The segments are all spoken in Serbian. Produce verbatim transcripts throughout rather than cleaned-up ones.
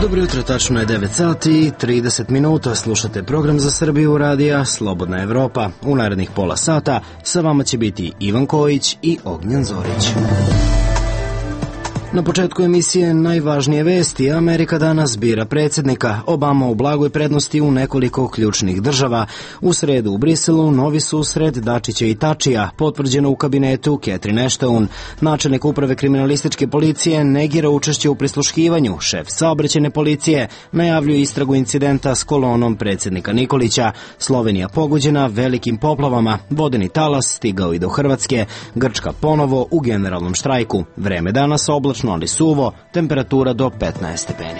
Dobro jutro, tačno je devet sati i trideset minuta. Slušate program za Srbiju radija Slobodna Evropa. U narednih pola sata sa vama će biti Ivan Kojić i Ognjen Zorić. Na početku emisije najvažnije vesti. Amerika danas bira predsjednika. Obama u blagoj prednosti u nekoliko ključnih država. U sredu u Briselu novi susret Dačića i Tačija, potvrđeno u kabinetu Catherine Ashton. Načelnik uprave kriminalističke policije negira učešće u prisluškivanju. Šef saobraćajne policije najavljuje istragu incidenta s kolonom predsjednika Nikolića. Slovenija pogođena velikim poplavama. Vodeni talas stigao i do Hrvatske. Grčka ponovo u generalnom štrajku. Vreme danas oblačno, ali suvo, temperatura do petnaest stepeni.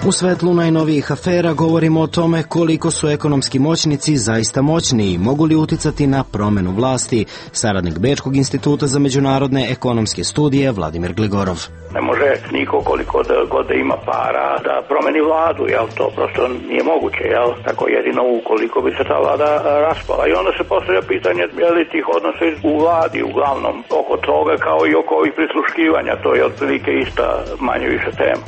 U svetlu najnovijih afera govorimo o tome koliko su ekonomski moćnici zaista moćni i mogu li uticati na promenu vlasti. Saradnik Bečkog instituta za međunarodne ekonomske studije Vladimir Gligorov. Ne može niko koliko da god da ima para da promeni vladu, jel, to prosto nije moguće, jel, tako jedino ukoliko bi se ta vlada raspala. I onda se postavlja pitanje, je li tih odnosa u vladi uglavnom oko toga kao i oko ovih prisluškivanja, to je otprilike ista manje više tema.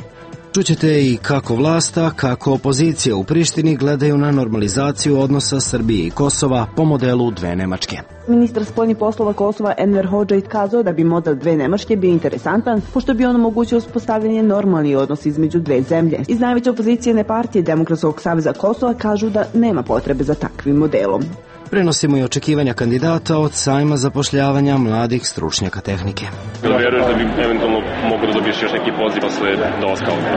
Čućete i kako vlasta, kako opozicija u Prištini gledaju na normalizaciju odnosa Srbije i Kosova po modelu dve Nemačke. Ministar spoljnih poslova Kosova Enver Hodžić kazao da bi model dve Nemačke bio interesantan, pošto bi on omogućio uspostavljanje normalnih odnosa između dve zemlje. Iz najveće opozicijne partije Demokratskog saveza Kosova kažu da nema potrebe za takvim modelom. Prenosimo i očekivanja kandidata od sajma zapošljavanja mladih stručnjaka tehnike. Da vjeruješ da bi eventualno mogu da dobiješ još neki poziv posle dolaska ovdje?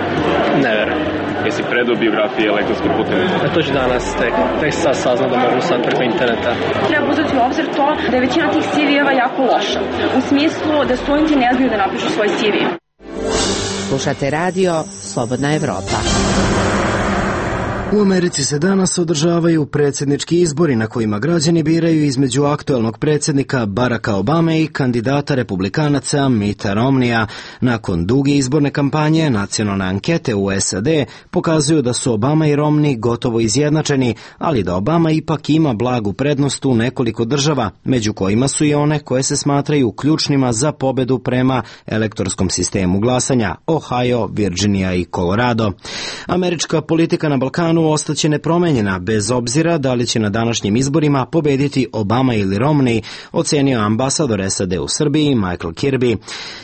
Ne verujem. Jesi predao biografije elektronskim putem? A to ću danas tek, tek sad saznao da mogu sad preko interneta. Treba uzeti u obzir to da je većina tih C V-eva jako loša. U smislu da studenti ne znaju da napišu svoj C V. Slušate radio Slobodna Evropa. U Americi se danas održavaju predsjednički izbori na kojima građani biraju između aktuelnog predsjednika Baracka Obame i kandidata republikanaca Mitta Romneya. Nakon duge izborne kampanje, nacionalne ankete u S A D pokazuju da su Obama i Romney gotovo izjednačeni, ali da Obama ipak ima blagu prednost u nekoliko država, među kojima su i one koje se smatraju ključnima za pobedu prema elektorskom sistemu glasanja, Ohio, Virginia i Colorado. Američka politika na Balkanu ostaće nepromenjena, bez obzira da li će na današnjim izborima pobediti Obama ili Romney, ocenio ambasador S A D u Srbiji Michael Kirby.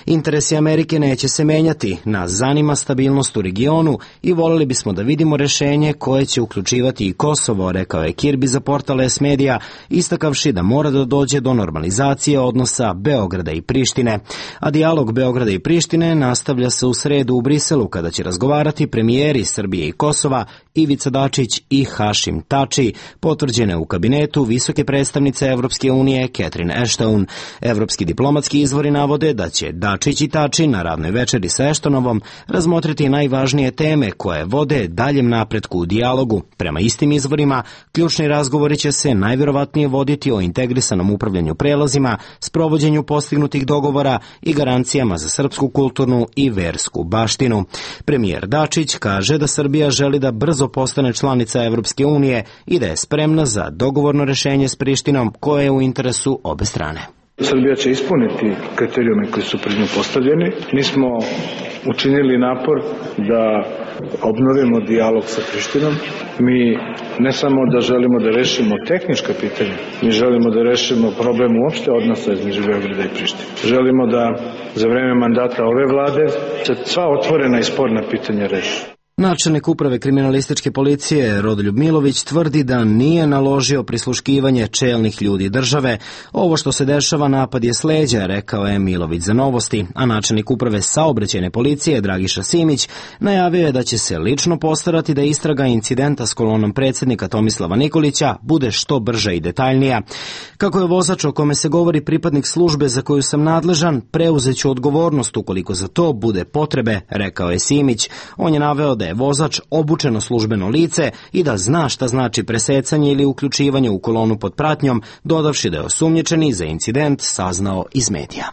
Interesi Amerike neće se menjati, nas zanima stabilnost u regionu i voljeli bismo da vidimo rešenje koje će uključivati i Kosovo, rekao je Kirby za portal S Media, istakavši da mora da dođe do normalizacije odnosa Beograda i Prištine. A dijalog Beograda i Prištine nastavlja se u sredu u Briselu, kada će razgovarati premijeri Srbije i Kosova Ivica Dačić i Hašim Tači, potvrđene u kabinetu visoke predstavnice Evropske unije Catherine Ashton. Evropski diplomatski izvori navode da će Dačić i Tači na radnoj večeri sa Ashtonovom razmotriti najvažnije teme koje vode daljem napretku u dijalogu. Prema istim izvorima, ključni razgovori će se najvjerovatnije voditi o integrisanom upravljanju prelazima, sprovođenju postignutih dogovora i garancijama za srpsku kulturnu i versku baštinu. Premijer Dačić kaže da Srbija želi da brzo postane članica Evropske unije i da je spremna za dogovorno rešenje s Prištinom koje je u interesu obe strane. Srbija će ispuniti kriterijume koji su pred nju postavljeni. Mi smo učinili napor da obnovimo dijalog sa Prištinom. Mi ne samo da želimo da rešimo tehnička pitanja, mi želimo da rešimo problem uopšte odnosa između Beograda i Prištine. Želimo da za vreme mandata ove vlade se sva otvorena i sporna pitanja reši. Načelnik uprave kriminalističke policije Rodoljub Milović tvrdi da nije naložio prisluškivanje čelnih ljudi države. Ovo što se dešava napad je s leđa, rekao je Milović za Novosti, a načelnik uprave saobraćajne policije Dragiša Simić najavio je da će se lično postarati da istraga incidenta s kolonom predsjednika Tomislava Nikolića bude što brža i detaljnija. Kako je vozač o kome se govori pripadnik službe za koju sam nadležan, preuzeću odgovornost ukoliko za to bude potrebe, rekao je Simić. On je naveo da je vozač obučeno službeno lice i da zna šta znači presecanje ili uključivanje u kolonu pod pratnjom, dodavši da je osumnjičeni za incident saznao iz medija.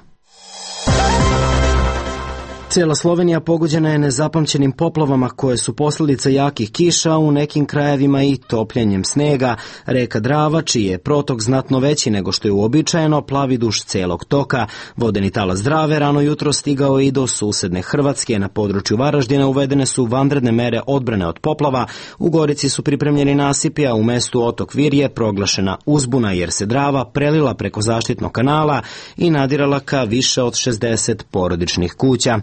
Cijela Slovenija pogođena je nezapamćenim poplavama koje su posljedica jakih kiša, u nekim krajevima i topljenjem snega. Reka Drava, čiji je protok znatno veći nego što je uobičajeno, plavi duž cijelog toka. Vodeni talas Drave rano jutro stigao i do susedne Hrvatske. Na području Varaždina uvedene su vanredne mere odbrane od poplava. U Gorici su pripremljeni nasipi, a u mestu Otok Vir je proglašena uzbuna jer se Drava prelila preko zaštitnog kanala i nadirala ka više od šezdeset porodičnih kuća.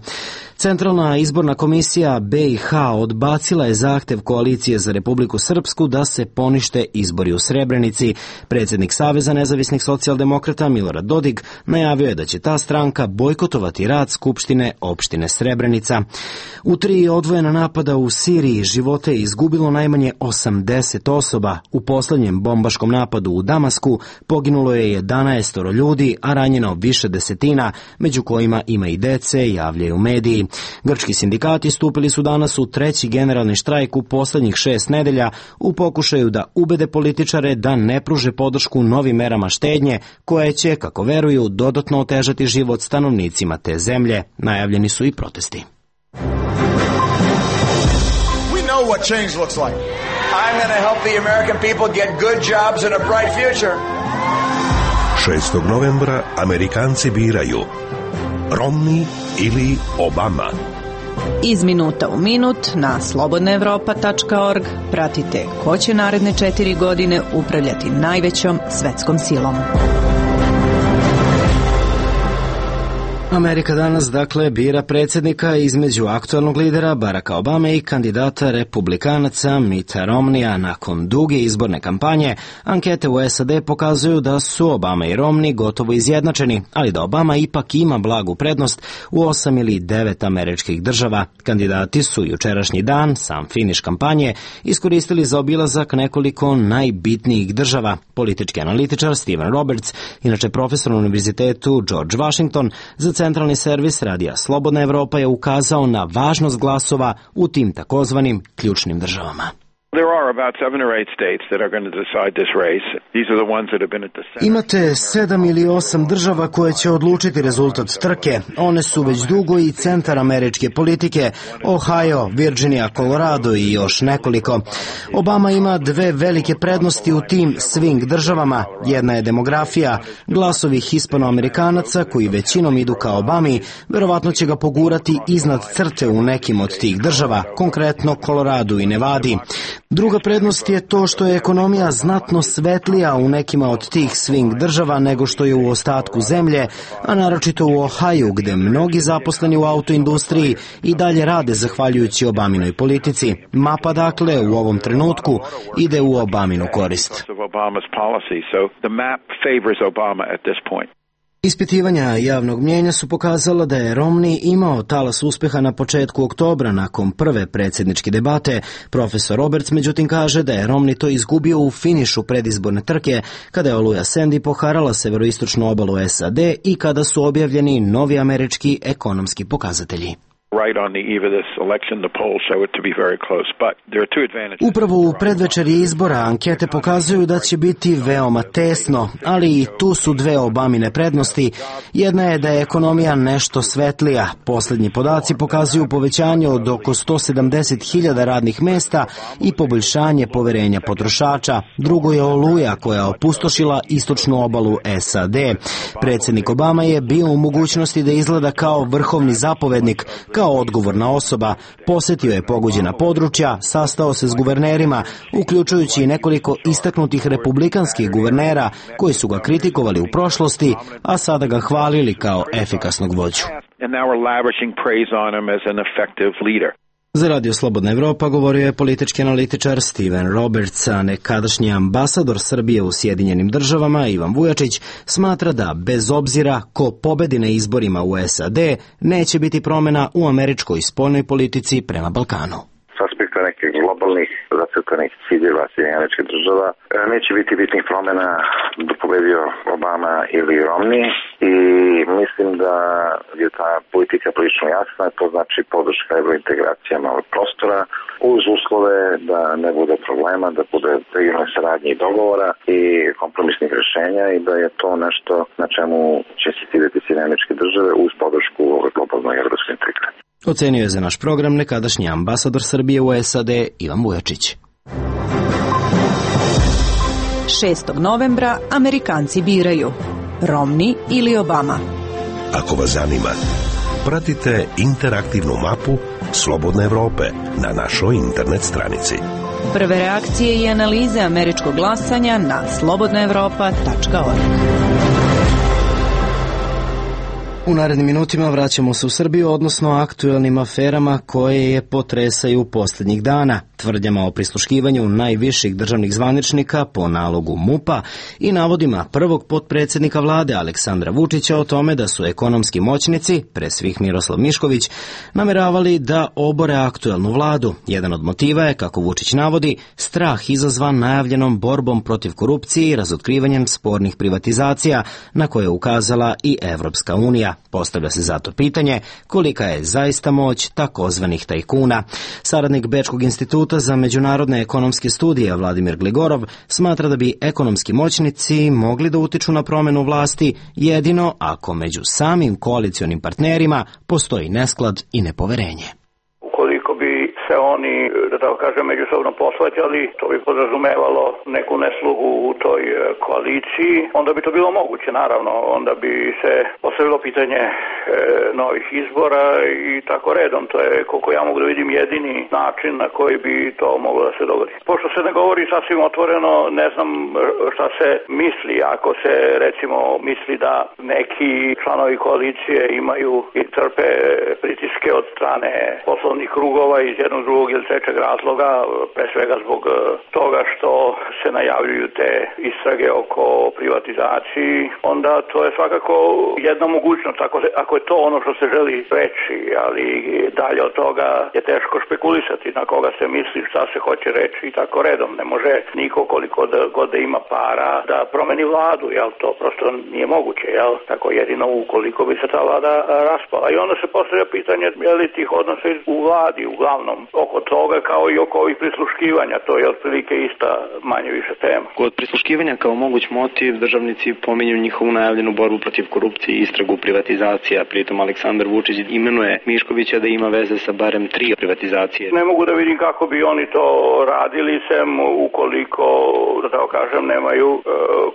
Centralna izborna komisija B i H odbacila je zahtev Koalicije za Republiku Srpsku da se ponište izbori u Srebrenici. Predsjednik Saveza nezavisnih socijaldemokrata Milorad Dodik najavio je da će ta stranka bojkotovati rad Skupštine opštine Srebrenica. U tri odvojena napada u Siriji živote je izgubilo najmanje osamdeset osoba. U posljednjem bombaškom napadu u Damasku poginulo je jedanaest ljudi, a ranjeno više desetina, među kojima ima i dece, javljaju mediji. Grčki sindikati stupili su danas u treći generalni štrajk u posljednjih šest nedelja u pokušaju da ubede političare da ne pruže podršku novim merama štednje koje će, kako veruju, dodatno otežati život stanovnicima te zemlje. Najavljeni su i protesti. We know what change looks like. I'm going to help the American people get good jobs and a bright future. šestog novembra Amerikanci biraju Romney ili Obama. Iz minuta u minut na slobodna evropa tačka org pratite ko će naredne četiri godine upravljati najvećom svetskom silom. Amerika danas dakle bira predsjednika između aktualnog lidera Baracka Obame i kandidata republikanaca Mitta Romneya. Nakon duge izborne kampanje, ankete u S A D pokazuju da su Obama i Romney gotovo izjednačeni, ali da Obama ipak ima blagu prednost u osam ili devet američkih država. Kandidati su jučerašnji dan, sam finiš kampanje, iskoristili za obilazak nekoliko najbitnijih država. Politički analitičar Stephen Roberts, inače profesor na Univerzitetu George Washington, za centralni servis radija Slobodna Evropa je ukazao na važnost glasova u tim takozvanim ključnim državama. Imate sedam ili osam država koje će odlučiti rezultat trke. One su već dugo i centar američke politike: Ohio, Virginia, Colorado i još nekoliko. Obama ima dve velike prednosti u tim swing državama. Jedna je demografija. Glasovi hispanoamerikanaca koji većinom idu ka Obami verovatno će ga pogurati iznad crte u nekim od tih država, konkretno Colorado i Nevadi. Druga prednost je to što je ekonomija znatno svetlija u nekima od tih swing država nego što je u ostatku zemlje, a naročito u Ohaju, gde mnogi zaposleni u autoindustriji i dalje rade zahvaljujući Obaminoj politici. Mapa dakle u ovom trenutku ide u Obaminu korist. Ispitivanja javnog mnijenja su pokazala da je Romney imao talas uspeha na početku oktobra nakon prve predsjedničke debate. Profesor Roberts međutim kaže da je Romney to izgubio u finišu predizborne trke kada je oluja Sandy poharala severoistočnu obalu S A D i kada su objavljeni novi američki ekonomski pokazatelji. Upravo u predvečerji izbora ankete pokazuju da će biti veoma tesno, ali i tu su dve Obamine prednosti. Jedna je da je ekonomija nešto svetlija. Posljednji podaci pokazuju povećanje od oko sto sedamdeset hiljada radnih mesta i poboljšanje poverenja potrošača. Drugo je oluja koja je opustošila istočnu obalu S A D. Predsjednik Obama je bio u mogućnosti da izgleda kao vrhovni zapovednik, kao odgovorna osoba. Posjetio je pogođena područja, sastao se s guvernerima, uključujući i nekoliko istaknutih republikanskih guvernera koji su ga kritikovali u prošlosti, a sada ga hvalili kao efikasnog vođu. Za Radio Slobodna Evropa govorio je politički analitičar Stephen Roberts, a nekadašnji ambasador Srbije u Sjedinjenim državama Ivan Vujačić smatra da bez obzira ko pobedi na izborima u S A D neće biti promjena u američkoj spoljnoj politici prema Balkanu. S aspekta nekih globalnih zacrtanih ciljeva Sjedinjenih Američkih Država. Neće biti bitnih promjena da pobedio Obama ili Romney i mislim da je ta politika prilično jasna, to znači podrška evrointegracijama ovog prostora uz uslove da ne bude problema, da bude regionalne saradnje i dogovora i kompromisnih rješenja i da je to nešto na čemu će se ciljati Sjedinjene Američke Države uz podršku ove globalnoj evropskoj integracije. Ocenio je za naš program nekadašnji ambasador Srbije u S A D Ivan Vujačić. šestog novembra Amerikanci biraju Romney ili Obama. Ako vas zanima, pratite interaktivnu mapu Slobodne Evrope na našoj internet stranici. Prve reakcije i analize američkog glasanja na slobodna evropa tačka org. U narednim minutima vraćamo se u Srbiju, odnosno aktuelnim aferama koje je potresaju posljednjih dana, tvrdnjama o prisluškivanju najviših državnih zvaničnika po nalogu MUP-a i navodima prvog potpredsjednika vlade Aleksandra Vučića o tome da su ekonomski moćnici, pre svih Miroslav Mišković, nameravali da obore aktuelnu vladu. Jedan od motiva je, kako Vučić navodi, strah izazvan najavljenom borbom protiv korupcije i razotkrivanjem spornih privatizacija na koje je ukazala i Evropska unija. Postavlja se zato pitanje kolika je zaista moć takozvanih tajkuna. Saradnik Bečkog instituta za međunarodne ekonomske studije Vladimir Gligorov smatra da bi ekonomski moćnici mogli da utiču na promjenu vlasti jedino ako među samim koalicionim partnerima postoji nesklad i nepoverenje. Ukoliko bi se oni, da tako kažem, međusobno posvađali, to bi podrazumevalo neku neslugu u toj koaliciji, onda bi to bilo moguće, naravno, onda bi se postavilo pitanje e, novih izbora i tako redom. To je, koliko ja mogu da vidim, jedini način na koji bi to moglo da se dogodi. Pošto se ne govori sasvim otvoreno, ne znam šta se misli, ako se recimo misli da neki članovi koalicije imaju i trpe pritiske od strane poslovnih krugova iz jednog drugog ili trećeg razloga, pre svega zbog toga što se najavljuju te istrage oko privatizaciji, onda to je svakako jedna mogućnost, ako, se, ako je to ono što se želi reći, ali dalje od toga je teško špekulisati na koga se misli, šta se hoće reći i tako redom. Ne može niko koliko da, god da ima para da promeni vladu, jel to prosto nije moguće, jel? Tako jedino ukoliko bi se ta vlada raspala. I onda se postavlja pitanje je li tih odnosa u vladi uglavnom oko toga kao i oko ovih prisluškivanja, to je otprilike ista manje više tema. Kod prisluškivanja kao moguć motiv državnici pominju njihovu najavljenu borbu protiv korupcije i istragu privatizacija, pritom Aleksandar Vučić imenuje Miškovića da ima veze sa barem tri privatizacije. Ne mogu da vidim kako bi oni to radili sem ukoliko, da tako kažem, nemaju e,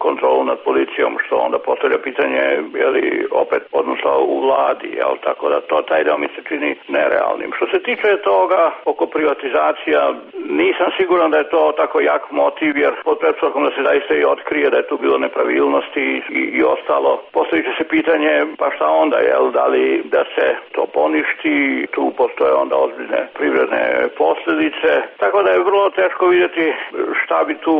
kontrolu nad policijom, što onda postavlja pitanje je li opet odnosno u vladi, jel? Tako da to taj deo mi se čini nerealnim. Što se tiče toga oko privatizacija, nisam siguran da je to tako jak motiv, jer pod pretpostavkom da se zaista i otkrije da je tu bilo nepravilnosti i, i ostalo. Postavit će se pitanje, pa šta onda, jel, da li da se to poništi, tu postoje onda ozbiljne privredne posljedice, tako da je vrlo teško vidjeti šta bi tu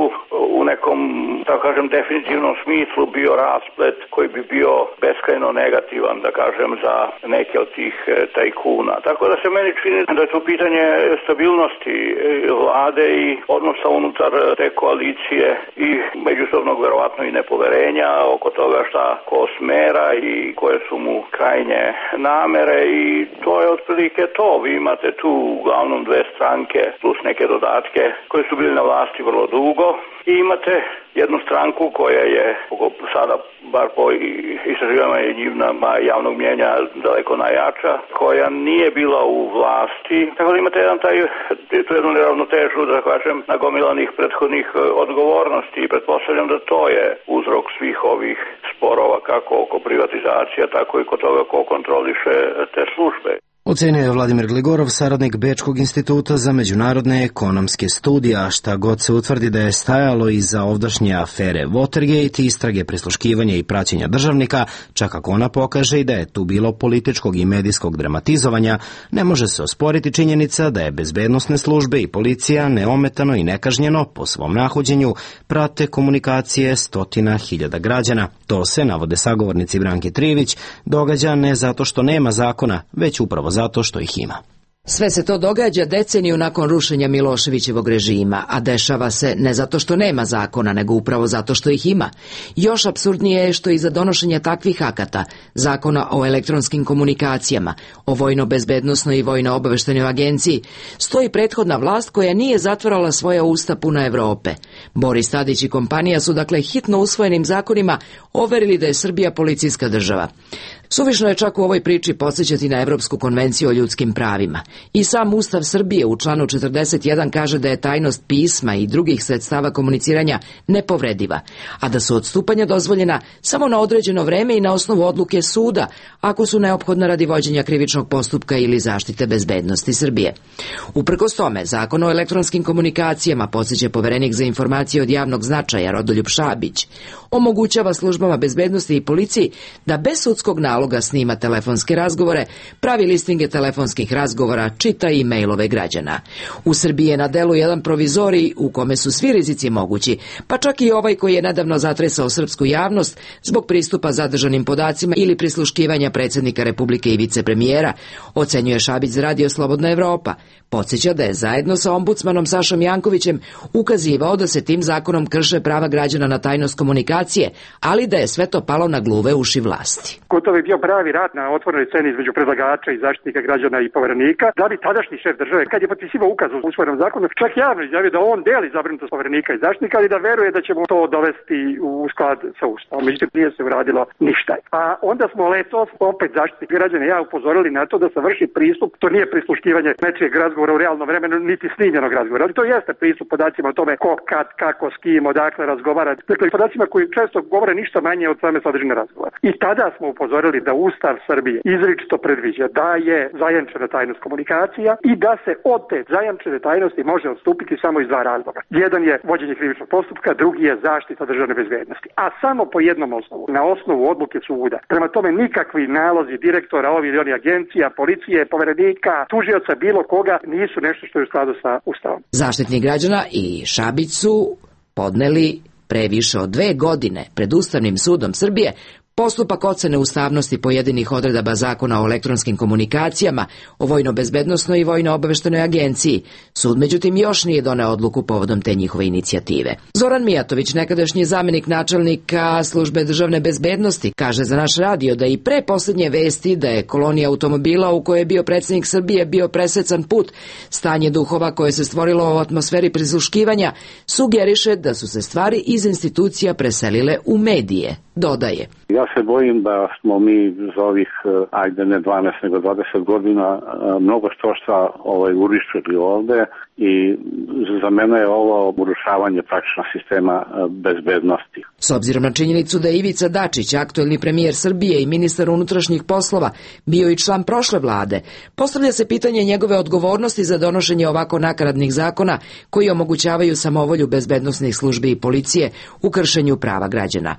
u nekom, tako kažem, definitivnom smislu bio rasplet koji bi bio beskrajno negativan, da kažem, za neke od tih tajkuna. Tako da se meni čini da je to pitanje stabilnosti vlade i odnosa unutar te koalicije i međusobnog verovatno i nepoverenja oko toga šta ko smera i koje su mu krajnje namere i to je otprilike to. Vi imate tu uglavnom dve stranke plus neke dodatke koje su bili na vlasti vrlo dugo i imate jednu stranku koja je sada, bar po istraživanjima javnog mnjenja, daleko najjača, koja nije bila u vlasti. Tako da imate jedan taj, tu jednu neravnotežu, da kažem, nagomilanih prethodnih odgovornosti i pretpostavljam da to je uzrok svih ovih sporova, kako oko privatizacija, tako i kod toga ko kontroliše te službe. Ocenio je Vladimir Gligorov, saradnik Bečkog instituta za međunarodne ekonomske studije, a šta god se utvrdi da je stajalo iza ovdašnje afere Watergate, istrage, prisluškivanja i praćenja državnika, čak ako ona pokaže i da je tu bilo političkog i medijskog dramatizovanja, ne može se osporiti činjenica da je bezbednosne službe i policija neometano i nekažnjeno po svom nahođenju prate komunikacije stotina hiljada građana. To se, navode sagovornici Branke Trivić, događa ne zato što nema zakona, već upravo zato što ih ima. Sve se to događa deceniju nakon rušenja Miloševićevog režima, a dešava se ne zato što nema zakona, nego upravo zato što ih ima. Još apsurdnije je što iza donošenja takvih akata, zakona o elektronskim komunikacijama, o vojno-bezbednosnoj i vojno-obaveštajnoj agenciji, stoji prethodna vlast koja nije zatvarala svoja usta puna Evrope. Boris Tadić i kompanija su dakle hitno usvojenim zakonima overili da je Srbija policijska država. Suvišno je čak u ovoj priči podsjećati na Evropsku konvenciju o ljudskim pravima. I sam Ustav Srbije u članu četrdeset jedan kaže da je tajnost pisma i drugih sredstava komuniciranja nepovrediva, a da su odstupanja dozvoljena samo na određeno vreme i na osnovu odluke suda, ako su neophodna radi vođenja krivičnog postupka ili zaštite bezbednosti Srbije. Uprkos tome, Zakon o elektronskim komunikacijama, podsjeća poverenik za informacije od javnog značaja Rodoljub Šabić, omogućava službama bezbednosti i policiji da bez sudskog naloga snima telefonske razgovore, pravi listinge telefonskih razgovora, čita i mailove građana. U Srbiji je na delu jedan provizorij u kome su svi rizici mogući, pa čak i ovaj koji je nedavno zatresao srpsku javnost zbog pristupa zadržanim podacima ili prisluškivanja predsjednika Republike i vicepremijera, ocenjuje Šabić za Radio Slobodna Evropa. Podsjeća da je zajedno sa ombudsmanom Sašom Jankovićem ukazivao da se tim zakonom krše prava građana na tajnost komunikacije, ali da je sve to palo na gluve uši vlasti. Gotovo je bio pravi rat na otvorenoj sceni između predlagača i zaštitnika građana i poverenika, da bi tadašnji šef države, kad je potpisivao ukaz u usvojenom zakonu, čak javno izjavio da on deli zabrinutost poverenika i zaštitnika, ali da veruje da ćemo to dovesti u sklad sa Ustavom. Međutim, nije se uradilo ništa. A onda smo letos, opet zaštitnik građana i ja upozorili na to da se vrši pristup, to nije prisluškivanje nečijeg razgovora u realnom vremenu, niti snimljenog razgovora, ali to jeste pristup podacima o tome ko, kad, kako, s kim, odakle razgovara. Dakle, podacima koji često govore ništa manje od same sadržine razgovora. I tada smo upozorili da Ustav Srbije izričito predviđa da je zajamčena tajnost komunikacija i da se od te zajamčene tajnosti može odstupiti samo iz dva razloga. Jedan je vođenje krivičnog postupka, drugi je zaštita državne bezbednosti. A samo po jednom osnovu, na osnovu odluke suda. Prema tome nikakvi nalozi direktora ovih ili onih agencija, policije, poverenika, tužioca, bilo koga nisu nešto što je u skladu sa Ustavom. Zaštitnik građana i Šabić su podneli pre više od dve godine pred Ustavnim sudom Srbije postupak ocene ustavnosti pojedinih odredaba Zakona o elektronskim komunikacijama, o vojno-bezbednosnoj i vojno-obaveštajnoj agenciji. Sud, međutim, još nije doneo odluku povodom te njihove inicijative. Zoran Mijatović, nekadašnji zamenik načelnika Službe državne bezbednosti, kaže za naš radio da i pre posljednje vesti da je kolonija automobila u kojoj je bio predsjednik Srbije bio presecan put, stanje duhova koje se stvorilo u atmosferi prisluškivanja, sugeriše da su se stvari iz institucija preselile u medije. Dodaje. Ja se bojim da smo mi za ovih, ajde ne dvanaest nego dvadeset godina, mnogo što šta ovaj, urišili ovde i za mene je ovo urušavanje praktično sistema bezbednosti. S obzirom na činjenicu da je Ivica Dačić, aktuelni premijer Srbije i ministar unutrašnjih poslova, bio i član prošle vlade, postavlja se pitanje njegove odgovornosti za donošenje ovako nakaradnih zakona koji omogućavaju samovolju bezbednosnih službi i policije u kršenju prava građana.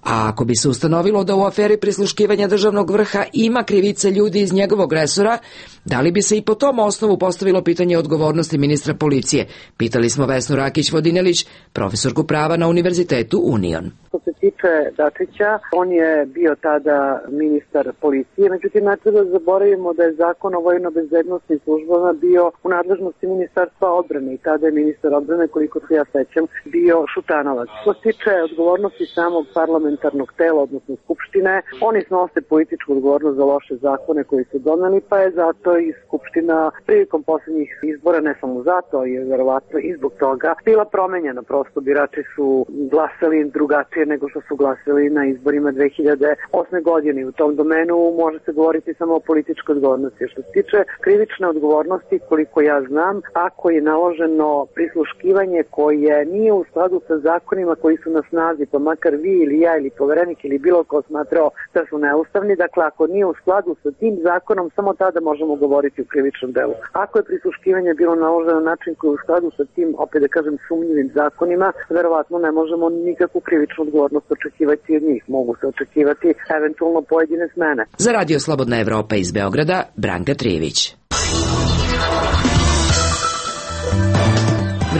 A ako bi se ustanovilo da u aferi prisluškivanja državnog vrha ima krivice ljudi iz njegovog resora, da li bi se i po tom osnovu postavilo pitanje odgovornosti ministra policije? Pitali smo Vesnu Rakić-Vodinelić, profesorku prava na Univerzitetu Union. Što se tiče Dačića, on je bio tada ministar policije, međutim ne treba da zaboravimo da je zakon o vojno-bezbednosnim službama bio u nadležnosti ministarstva odbrane i tada je ministar odbrane, koliko se ja sećam, bio Šutanovac. Što se tiče odgovornosti samog parlamentarnog tela, odnosno Skupštine, oni snose političku odgovornost za loše zakone koji su doneli, pa je zato i Skupština prilikom posljednjih izbora, ne samo zato, je verovatno i zbog toga bila promenjena. Prosto birači su glasali drugačije nego što su glasali na izborima dve hiljade osme godine. U tom domenu može se govoriti samo o političkoj odgovornosti. Što se tiče krivične odgovornosti, koliko ja znam, ako je naloženo prisluškivanje koje nije u skladu sa zakonima koji su na snazi, pa makar vi ili ja ili poverenik ili bilo ko smatrao da su neustavni, dakle ako nije u skladu sa tim zakonom, samo tada možemo govoriti o krivičnom delu. Ako je prisluškivanje bilo naloženo na način koji je u skladu sa tim, opet da kažem, sumnjivim zakonima, verovatno ne možemo nikakvu krivičnu odgovornost očekivati od njih. Mogu se očekivati eventualno pojedine smene. Za Radio Slobodna Evropa iz Beograda, Branka Trijević.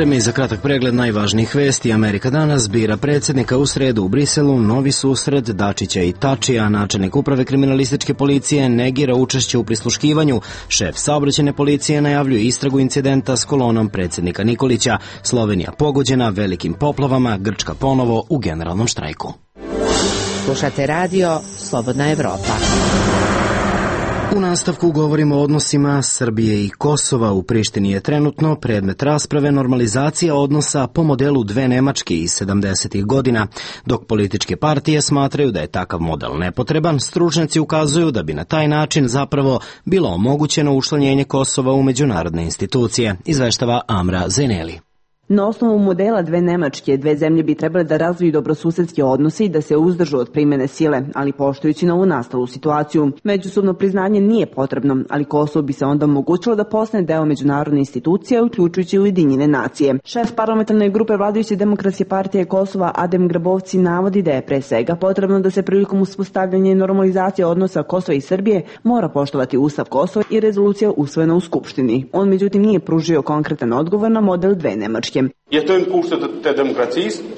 Vreme i za kratak pregled najvažnijih vesti. Amerika danas bira predsjednika, u sredu u Briselu novi susret Dačića i Tačija. Načelnik uprave kriminalističke policije negira učešće u prisluškivanju. Šef saobraćajne policije najavljuje istragu incidenta s kolonom predsjednika Nikolića. Slovenija pogođena velikim poplavama, Grčka ponovo u generalnom štrajku. Slušate radio Slobodna Evropa. U nastavku govorimo o odnosima Srbije i Kosova. U Prištini je trenutno predmet rasprave normalizacija odnosa po modelu dve Nemačke iz sedamdesetih godina. Dok političke partije smatraju da je takav model nepotreban, stručnjaci ukazuju da bi na taj način zapravo bilo omogućeno učlanjenje Kosova u međunarodne institucije, izveštava Amra Zeneli. Na osnovu modela dve Nemačke, dve zemlje bi trebale da razviju dobrosusedske odnose i da se uzdržu od primjene sile, ali poštujući novu nastalu situaciju. Međusobno priznanje nije potrebno, ali Kosovo bi se onda omogućilo da postane deo međunarodne institucije, uključujući Ujedinjene nacije. Šef parlamentarne grupe vladajuće Demokratske partije Kosova Adem Grabovci navodi da je pre svega potrebno da se prilikom uspostavljanja i normalizacije odnosa Kosova i Srbije mora poštovati Ustav Kosova i rezolucija usvojena u Skupštini. On međutim nije pružio konkretan odgovor na model dve Nemačke.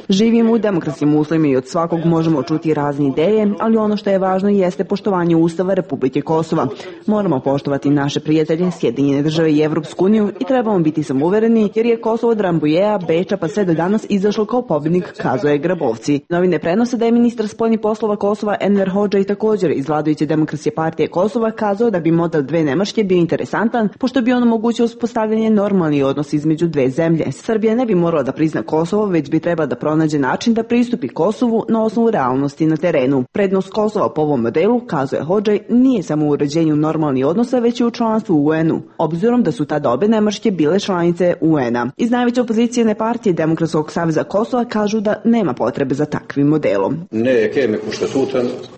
Živimo u demokratskim uslovima i od svakog možemo čuti razne ideje, ali ono što je važno jeste poštovanje Ustava Republike Kosova. Moramo poštovati naše prijatelje, Sjedinjene države i Evropsku uniju i trebamo biti samouvereni jer je Kosovo od Rambujea, Beča pa sve do danas izašlo kao pobjednik, kazuje Grabovci. Novine prenose da je ministar spoljnih poslova Kosova Enver Hodžaj također iz vladajuće Demokratske partije Kosova kazao da bi model dve Nemačke bio interesantan, pošto bi on omogućio uspostavljanje normalnih odnosa između dve zemlje. Srbija ne bi morala da prizna Kosovo, već bi trebala da pronađe način da pristupi Kosovu na osnovu realnosti na terenu. Prednost Kosova po ovom modelu, kazuje Hodžaj, nije samo u uređenju normalnih odnosa, već i u članstvu u U N-u, obzirom da su tada obe Nemačke bile članice U N-a. Iz najveće opozicijne partije Demokratskog saveza Kosova kažu da nema potrebe za takvim modelom.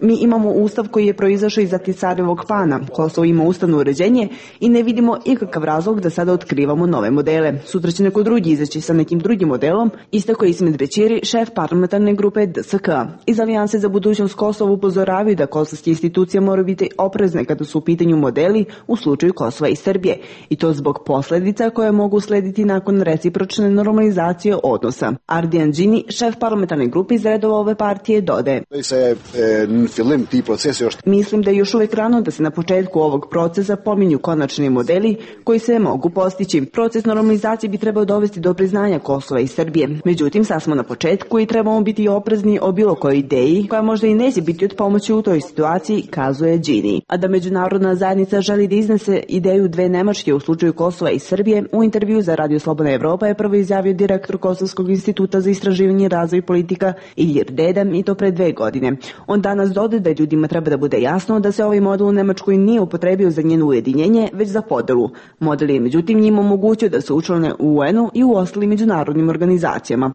Mi imamo ustav koji je proizašao iz Ahtisarevog plana. Kosovo ima ustavno uređenje i ne vidimo ikakav razlog da sada otkrivamo nove modele. Sutra će neko drugi izaći sa nekim drugim modelom, istako je Ismet Bećiri, šef parlamentarne grupe D S K. Iz Alijanse za budućnost Kosova upozoravaju da kosovske institucije moraju biti oprezne kada su u pitanju modeli u slučaju Kosova i Srbije, i to zbog posledica koje mogu slediti nakon recipročne normalizacije odnosa. Ardijan Džini, šef parlamentarne grupe iz redova ove partije, dodaje: Mislim da je još uvek rano da se na početku ovog procesa pominju konačni modeli koji se mogu postići. Proces normalizacije bi trebao dovesti do priznanja Kosova i Srbije. Međutim, sad smo na početku i trebamo biti oprezni o bilo kojoj ideji koja možda i neće biti od pomoći u toj situaciji, kazuje Džini. A da međunarodna zajednica želi da iznese ideju dve Nemačke u slučaju Kosova i Srbije, u intervju za Radio Slobodna Evropa je prvo izjavio direktor Kosovskog instituta za istraživanje i razvoj politika Ilir Dedam, i to pre dve godine. On danas dodaje da ljudima treba da bude jasno da se ovaj model u Nemačkoj nije upotrebio za njeno ujedinjenje, već za podelu. Model je međutim njima omogućio da se učlane u U N-u i u ostalim međunarodnim organizacijama.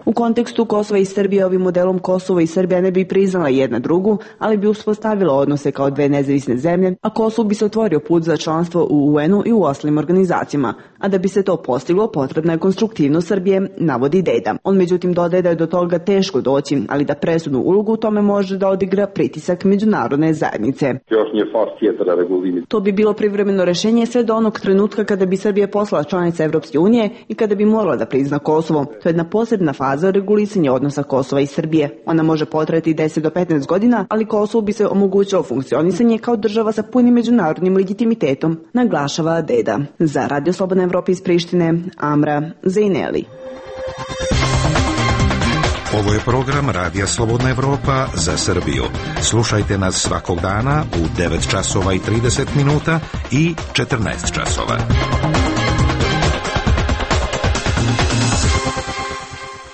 U kontekstu Kosova i Srbije ovim modelom Kosovo i Srbija ne bi priznala jedna drugu, ali bi uspostavila odnose kao dve nezavisne zemlje, a Kosovo bi se otvorio put za članstvo u U N-u i u ostalim organizacijama. A da bi se to postiglo, potrebna je konstruktivnost Srbije, navodi Deda. On međutim dodaje da je do toga teško doći, ali da presudnu ulogu u tome može da odigra pritisak međunarodne zajednice. To bi bilo privremeno rešenje sve do onog trenutka kada bi Srbija postala članica Evropske unije i kada bi morala da prizna Kosovo. To je jedna posebna faza regulisanja odnosa Kosova i Srbije. Ona može potrajati deset do petnaest godina, ali Kosovo bi se omogućilo funkcionisanje kao država sa punim međunarodnim legitimitetom, naglašava Deda. Za Radio Slobodna Evropa iz Prištine, Amra Zejneli. Ovo je program Radija Slobodna Evropa za Srbiju. Slušajte nas svakog dana u devet časova i trideset minuta i četrnaest časova.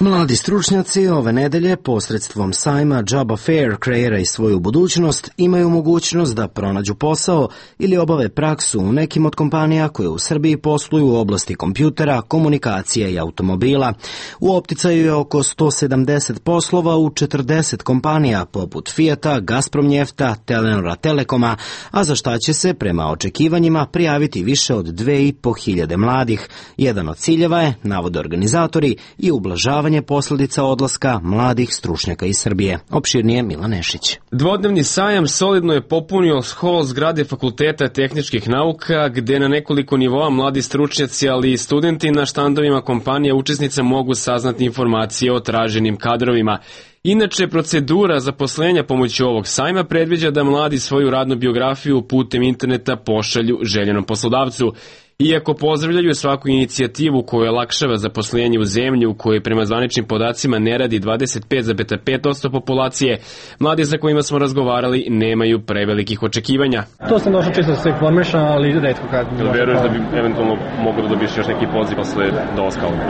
Mladi stručnjaci ove nedelje posredstvom sajma Job Fair kreiraj svoju budućnost imaju mogućnost da pronađu posao ili obave praksu u nekim od kompanija koje u Srbiji posluju u oblasti kompjutera, komunikacije i automobila. U opticaju je oko sto sedamdeset poslova u četrdeset kompanija poput Fijata, Gazprom Njefta, Telenora Telekoma, a za šta će se prema očekivanjima prijaviti više od dve i po hiljade mladih. Jedan od ciljeva je, navode organizatori, i ublažavanje ublažavanje posljedica odlaska mladih stručnjaka iz Srbije. Opširnije Milan Nešić. Dvodnevni sajam solidno je popunio hol zgrade Fakulteta tehničkih nauka, gde na nekoliko nivoa mladi stručnjaci, ali i studenti na štandovima kompanija učesnica mogu saznati informacije o traženim kadrovima. Inače, procedura zaposlenja pomoću ovog sajma predviđa da mladi svoju radnu biografiju putem interneta pošalju željenom poslodavcu. Iako pozdravljaju svaku inicijativu koja olakšava zaposlenje u zemlji u kojoj prema zvaničnim podacima ne radi dvadeset pet zarez pet posto populacije, mladi sa kojima smo razgovarali nemaju prevelikih očekivanja. To sam došao čisto da se informišem, ali redko kad... Jel veruješ da bi eventualno mogu da dobiješ još neki poziv posle dolaska ovdje?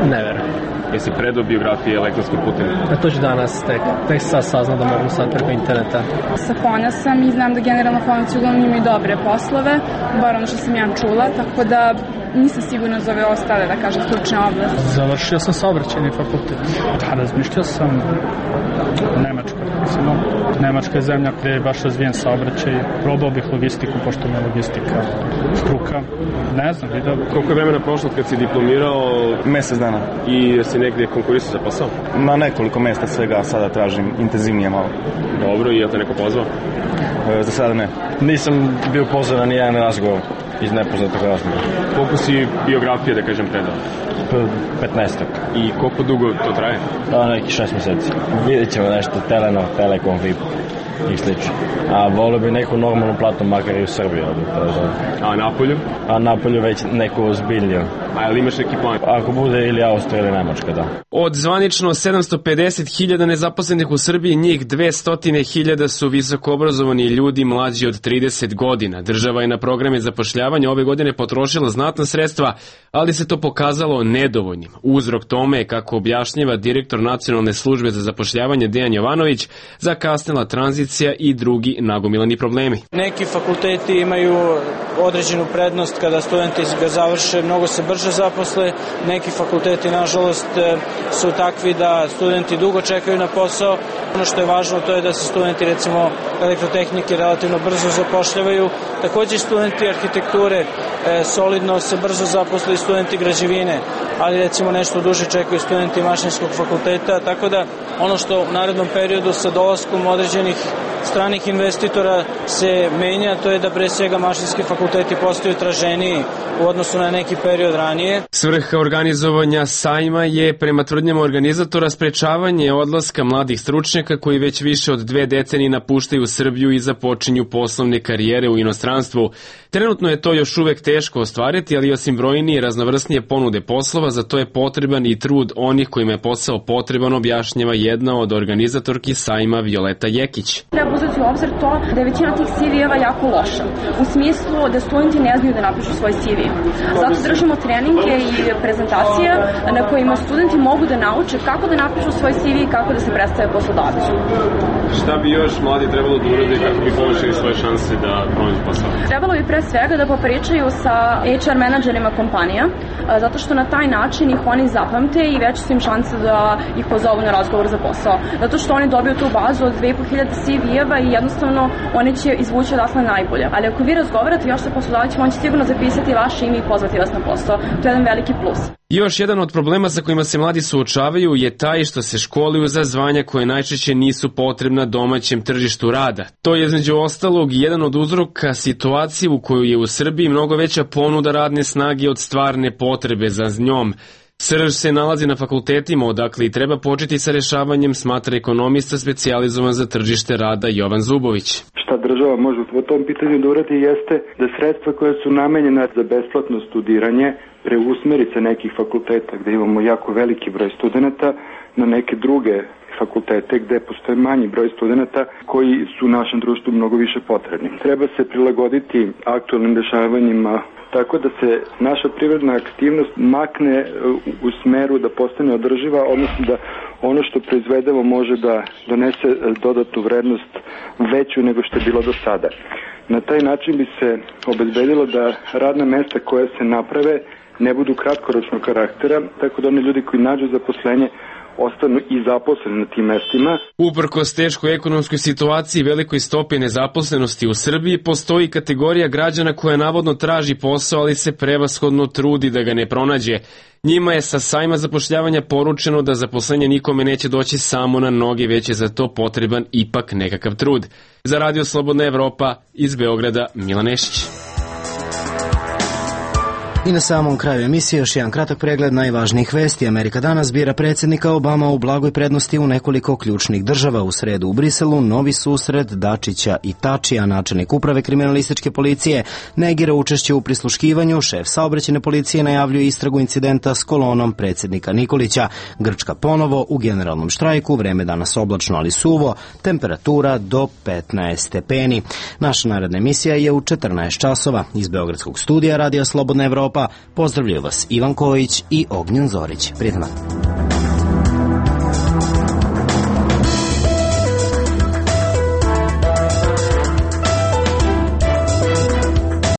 Ne verujem. Jesi predao biografije elektronskim putem? A to ću danas, tek, tek sad saznam da mogu sad preko interneta. Sa Fona sam i znam da generalno Fonac uglavnom imaju dobre poslove, bar ono što sam ja čula, tako da nisam sigurna za ove ostale, da kažem, stručne oblasti. Završio sam saobraćajni fakultet. Da, razmišljao sam Nemačka. Nemačka je zemlja gde je baš razvijen saobraćaj. Probao bih logistiku, pošto mi je logistika struka. Ne znam, vidio. Koliko je vremena prošlo kad si diplomirao? Mesec dana. I si negdje konkurisao za posao? Na nekoliko mesta svega, sada tražim intenzivnije malo. Dobro, i je te neko pozvao? E, za sada ne. Nisam bio pozvan na nijedan razgovor iz nepoznatog razloga. Koliko si biografije, da kažem, predao? petnaestak. I koliko dugo to traje? Da, neki šest mjeseci. Vidjet ćemo nešto, Telenor, Telekom, V I P i slično. A volio bi neku normalnu platu, makar i u Srbiji. A Napolju? A Napolju već neku ozbiljniju. A ili imaš neki plan? Ako bude ili Austrija ili Nemačka, da. Od zvanično sedamsto pedeset hiljada nezaposlenih u Srbiji, njih dvesta hiljada su visokoobrazovani ljudi mlađi od trideset godina. Država je na programe zapošljavanja ove godine potrošila znatna sredstva, ali se to pokazalo nedovoljnim. Uzrok tome je, kako objašnjava direktor Nacionalne službe za zapošljavanje Dejan Jovanović, zakasnila tranzicija i drugi nagomilani problemi. Neki fakulteti imaju određenu prednost kada studenti ga završe, mnogo se brže zaposle. Neki fakulteti, nažalost, su takvi da studenti dugo čekaju na posao. Ono što je važno, to je da se studenti, recimo, elektrotehnike relativno brzo zapošljavaju. Također studenti arhitekture e, solidno se brzo zaposle i studenti građevine, ali recimo nešto duže čekaju studenti mašinskog fakulteta, tako da ono što u narednom periodu sa dolaskom određenih stranih investitora se menja, to je da pre svega mašinski fakulteti postaju traženiji u odnosu na neki period ranije. Svrha organizovanja sajma je, prema tvrdnjama organizatora, sprečavanje odlaska mladih stručnjaka koji već više od dve decenije napuštaju Srbiju i započinju poslovne karijere u inostranstvu. Trenutno je to još uvek teško ostvariti, ali osim brojnije i raznovrsnije ponude poslova, za to je potreban i trud onih kojima je posao potreban, objašnjava jedna od organizatorki sajma Violeta Jekić. Treba uzeti u obzir to da je većina tih C V-eva jako loša, u smislu da studenti ne znaju da napišu svoj C V. Zato držimo treninge i prezentacije na kojima studenti mogu da nauče kako da napišu svoj C V i kako da se predstave poslodavcu. Šta bi još mladi trebalo da urade kako bi povećali svoje šanse da pronađu posao? Trebalo bi pre svega da popričaju sa H R menadžerima kompanija, zato što na taj način ih oni zapamte i veće su im šanse da ih pozovu na razgovor za posao. Zato što oni dobiju tu bazu od dve i po hiljade C V-eva i jednostavno oni će izvući odatle najbolje. Ali ako vi razgovarate još sa poslodavcima, on će sigurno zapisati vaše ime i pozvati vas na posao. To je jedan veliki plus. Još jedan od problema sa kojima se mladi suočavaju je taj što se školuju za zvanja koje najčešće nisu potrebna domaćem tržištu rada. To je između ostalog jedan od uzroka situacije u kojoj je u Srbiji mnogo veća ponuda radne snage od stvarne potrebe za njom. Srž se nalazi na fakultetima, odakle i treba početi sa rešavanjem, smatra ekonomista specijalizovan za tržište rada Jovan Zubović. Šta država može po tom pitanju da uradi jeste da sredstva koja su namenjena za besplatno studiranje preusmeri sa nekih fakulteta gde imamo jako veliki broj studenta na neke druge fakultete gde postoje manji broj studenta koji su u našem društvu mnogo više potrebni. Treba se prilagoditi aktualnim dešavanjima tako da se naša privredna aktivnost makne u smeru da postane održiva, odnosno da ono što proizvedemo može da donese dodatnu vrednost veću nego što je bilo do sada. Na taj način bi se obezbedilo da radna mesta koja se naprave ne budu kratkoročnog karaktera, tako da oni ljudi koji nađu zaposlenje ostanu i zaposleni na tim mestima. Uprkos teškoj ekonomskoj situaciji i velikoj stopi nezaposlenosti u Srbiji, postoji kategorija građana koja navodno traži posao, ali se prevashodno trudi da ga ne pronađe. Njima je sa sajma zapošljavanja poručeno da zaposlenje nikome neće doći samo na noge, već je za to potreban ipak nekakav trud. Za Radio Slobodna Evropa iz Beograda, Milan Nešić. I na samom kraju emisije još jedan kratak pregled najvažnijih vesti. Amerika danas bira predsjednika Obama u blagoj prednosti u nekoliko ključnih država. U sredu u Briselu novi susret Dačića i Tačija, načelnik uprave kriminalističke policije, negira učešće u prisluškivanju, šef saobraćajne policije najavljuje istragu incidenta s kolonom predsjednika Nikolića. Grčka ponovo u generalnom štrajku, vreme danas oblačno ali suvo, temperatura do petnaest stepeni. Naša naredna emisija je u četrnaest časova. Iz Beogradskog studija Radija Slobodna Evropa pozdravljaju vas Ivan Kojić i Ognjen Zorić. Prijetno.